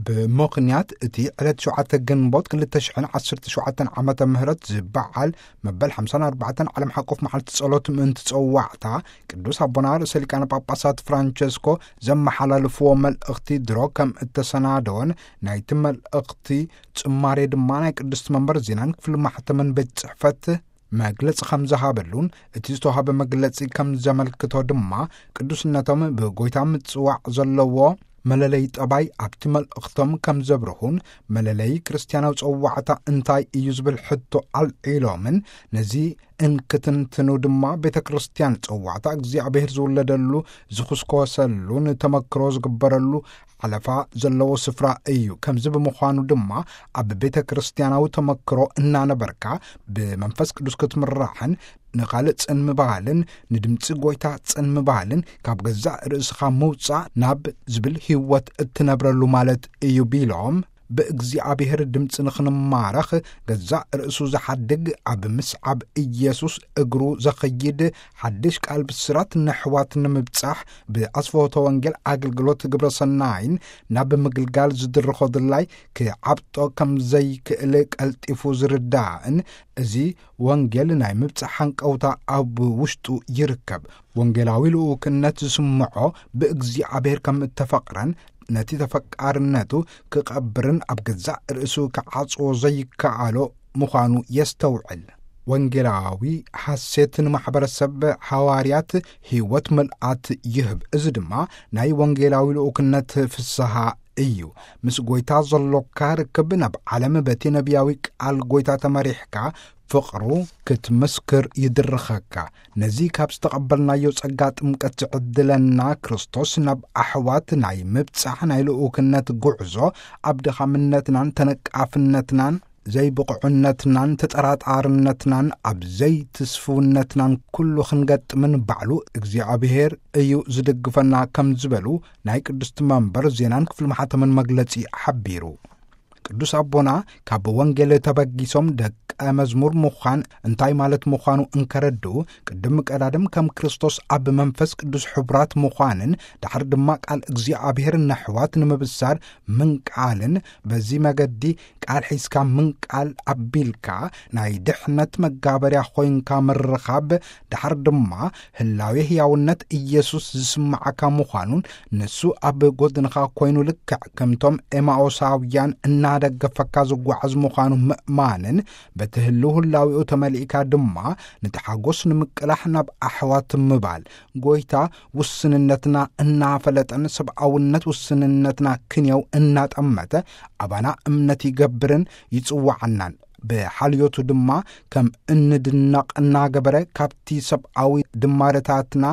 ብምኽንያት እቲ ዕለት ሸውዓተ ግንቦት ክልተ ሽሕን ዓሰርተ ሸውዓተን ዓመተ ምህረት ዝበዓል መበል ሓምሳን ኣርባዕተን ዓለም ሓቆፍ መዓልቲ ጸሎት ምእንቲ ጸዋዕታ፣ ቅዱስ ኣቦና ርእሰ ሊቃነ ጳጳሳት ፍራንቸስኮ ዘመሓላልፍዎ መልእኽቲ ድሮ ከም እተሰናደወን፣ ናይቲ መልእኽቲ ጽማሬ ድማ ናይ ቅድስቲ መንበር ዜናን ክፍሊ ማሕተምን ቤት ጽሕፈት መግለጺ ከም ዝሃበሉን፣ እቲ ዝተዋህበ መግለጺ ከም ዘመልክቶ ድማ፣ ቅዱስነቶም ብጎይታ ምጽዋዕ ዘለዎ መለለይ ጠባይ ኣብቲ መልእኽቶም ከም ዘብርሁን፣ መለለይ ክርስትያናዊ ጸዋዕታ እንታይ እዩ ዝብል ሕቶ ኣልዒሎምን፣ ነዚ እንክትንትኑ ድማ ቤተ ክርስትያን ጸዋዕታ እግዚኣብሔር ዝውለደሉ፣ ዝኹስኮሰሉን ተመክሮ ዝግበረሉ ሓለፋ ዘለዎ ስፍራ እዩ። ከምዚ ብምዃኑ ድማ ኣብ ቤተ ክርስትያናዊ ተመክሮ እናነበርካ ብመንፈስ ቅዱስ ክትምራሕን ንኻልእ ጽን ምባልን ንድምጺ ጎይታ ጽን ምባልን ካብ ገዛእ ርእስኻ ምውጻእ ናብ ዝብል ህይወት እትነብረሉ ማለት እዩ ቢሎም፣ ብእግዚኣብሔር ድምፂ ንኽንማረኽ ገዛእ ርእሱ ዝሓድግ ኣብ ምስዓብ ኢየሱስ እግሩ ዘኸይድ ሓድሽ ቃል ብስራት ንሕዋት ንምብጻሕ ብኣስፈወቶ ወንጌል ኣገልግሎት ግብረ ሰናይን ናብ ምግልጋል ዝድርኾ ድላይ ክዓብጦ ከም ዘይክእል ቀልጢፉ ዝርዳእን እዚ ወንጌል ናይ ምብጻሕ ሓንቀውታ ኣብ ውሽጡ ይርከብ። ወንጌላዊ ልኡክነት ዝስምዖ ብእግዚኣብሔር ከም እተፈቕረን ነቲ ተፈቃርነቱ ክቐብርን ኣብ ገዛእ ርእሱ ክዓጽዎ ዘይከኣሎ ምዃኑ የስተውዕል። ወንጌላዊ ሓሴት ንማሕበረሰብ ሓዋርያት ህይወት ምልኣት ይህብ። እዚ ድማ ናይ ወንጌላዊ ልኡክነት ፍስሃ እዩ። ምስ ጎይታ ዘሎካ ርክብ ናብ ዓለም በቲ ነቢያዊ ቃል ጎይታ ተመሪሕካ ፍቕሩ ክትምስክር ይድርኸካ። ነዚ ካብ ዝተቐበልናዮ ጸጋ ጥምቀት ዝዕድለና ክርስቶስ ናብ ኣሕዋት ናይ ምብጻሕ ናይ ልኡክነት ጉዕዞ ኣብ ድኻምነትናን ተነቃፍነትናን ዘይብቑዕነትናን ተጠራጣርነትናን ኣብ ዘይትስፍውነትናን ኩሉ ክንገጥምን ባዕሉ እግዚኣብሔር እዩ ዝድግፈና ከም ዝበሉ ናይ ቅድስቲ መንበር ዜናን ክፍሊ ማሕተምን መግለጺ ሓቢሩ። ቅዱስ ኣቦና ካብ ወንጌል ተበጊሶም ደቀ መዝሙር ምዃን እንታይ ማለት ምዃኑ እንከረድኡ፣ ቅድም ቀዳድም ከም ክርስቶስ ኣብ መንፈስ ቅዱስ ሕቡራት ምዃንን፣ ዳሕር ድማ ቃል እግዚኣብሔር ነሕዋት ንምብሳር ምንቃልን፣ በዚ መገዲ ቃል ሒዝካ ምንቃል ኣቢልካ ናይ ድሕነት መጋበርያ ኮይንካ ምርኻብ፣ ዳሕር ድማ ህላዌ ህያውነት ኢየሱስ ዝስምዓካ ምዃኑን፣ ንሱ ኣብ ጎድንኻ ኮይኑ ልክዕ ከምቶም ኤማኦሳውያን እናደገፈካ ዝጓዓዝ ምዃኑ ምእማንን፣ በቲ ህልው ህላዌኡ ተመሊእካ ድማ ነቲ ሓጎስ ንምቅላሕ ናብ ኣሕዋት ምባል፣ ጎይታ ውስንነትና እናፈለጠን ሰብኣውነት ውስንነትና ክንየው እናጠመተ ኣባና እምነት ይገብርን ይጽውዓናን። ብሓልዮቱ ድማ ከም እንድነቕ እናገበረ ካብቲ ሰብኣዊ ድማረታትና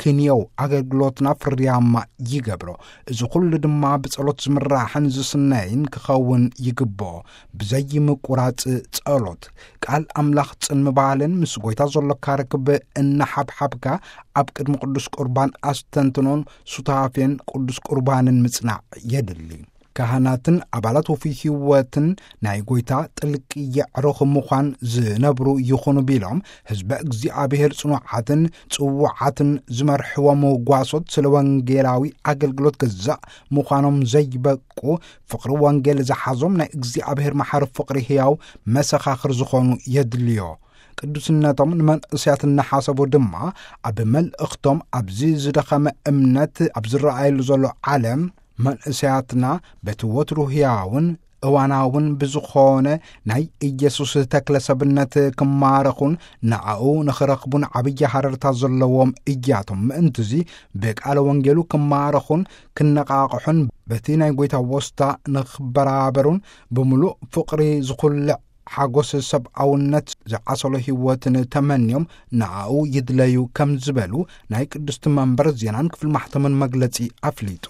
ክንየው ኣገልግሎትና ፍርያማ ይገብሮ። እዚ ኩሉ ድማ ብጸሎት ዝምራሕን ዝስነይን ክኸውን ይግብኦ። ብዘይምቁራጽ ጸሎት ቃል ኣምላኽ ጽን ምባልን ምስ ጎይታ ዘሎካ ርክብ እናሓብሓብካ ኣብ ቅድሚ ቅዱስ ቁርባን ኣስተንትኖን ሱታፌን ቅዱስ ቁርባንን ምጽናዕ የድሊ። ካህናትን ኣባላት ውፉይ ህይወትን ናይ ጎይታ ጥልቂ የዕሩኽ ምዃን ዝነብሩ ይኹኑ ቢሎም፣ ህዝበ እግዚኣብሔር ጽኑዓትን ጽውዓትን ዝመርሕዎም ጓሶት ስለ ወንጌላዊ ኣገልግሎት ገዛእ ምዃኖም ዘይበቁ፣ ፍቕሪ ወንጌል ዝሓዞም ናይ እግዚኣብሔር መሓሪ ፍቕሪ ህያው መሰኻኽር ዝኾኑ የድልዮ። ቅዱስነቶም ንመንእሰያት እናሓሰቡ ድማ ኣብ መልእኽቶም፣ ኣብዚ ዝደኸመ እምነት ኣብ ዝረኣየሉ ዘሎ ዓለም፣ መንእሰያትና በቲ ወትሩ ህያውን እዋናውን ብዝኾነ ናይ ኢየሱስ ተክለ ሰብነት ክማረኹን ንኣኡ ንኽረኽቡን ዓብዪ ሃረርታ ዘለዎም እያቶም። ምእንትዚ ብቃለ ወንጌሉ ክማረኹን ክነቓቕሑን በቲ ናይ ጎይታ ወስታ ንኽበራበሩን ብምሉእ ፍቕሪ ዝኹልዕ ሓጎስ ሰብኣውነት ዝዓሰሎ ህይወትን ተመንዮም ንኣኡ ይድለዩ ከም ዝበሉ ናይ ቅድስቲ መንበር ዜናን ክፍሊ ማሕተምን መግለጺ ኣፍሊጡ።